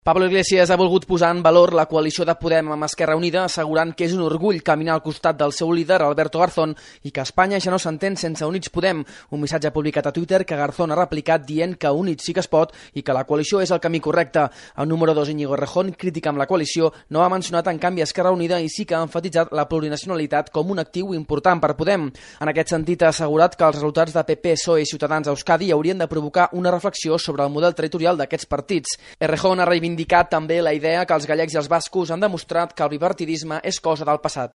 Pablo Iglesias ha volgut posar en valor la coalició de Podem amb Esquerra Unida, assegurant que és un orgull caminar al costat del seu líder, Alberto Garzón, i que Espanya ja no s'entén sense Units Podem, un missatge publicat a Twitter que Garzón ha replicat dient que Units sí que es pot i que la coalició és el camí correcte. El número 2, Íñigo Errejón, crític amb la coalició, no ha mencionat en canvi Esquerra Unida i sí que ha emfatitzat la plurinacionalitat com un actiu important per Podem. En aquest sentit, ha assegurat que els resultats de PP, PSOE i Ciutadans a Euskadi haurien de provocar una reflexió sobre el model territorial d'aquests partits. Errejón ha reivindicat també la idea que els gallecs i els bascos han demostrat que el bipartidisme és cosa del passat.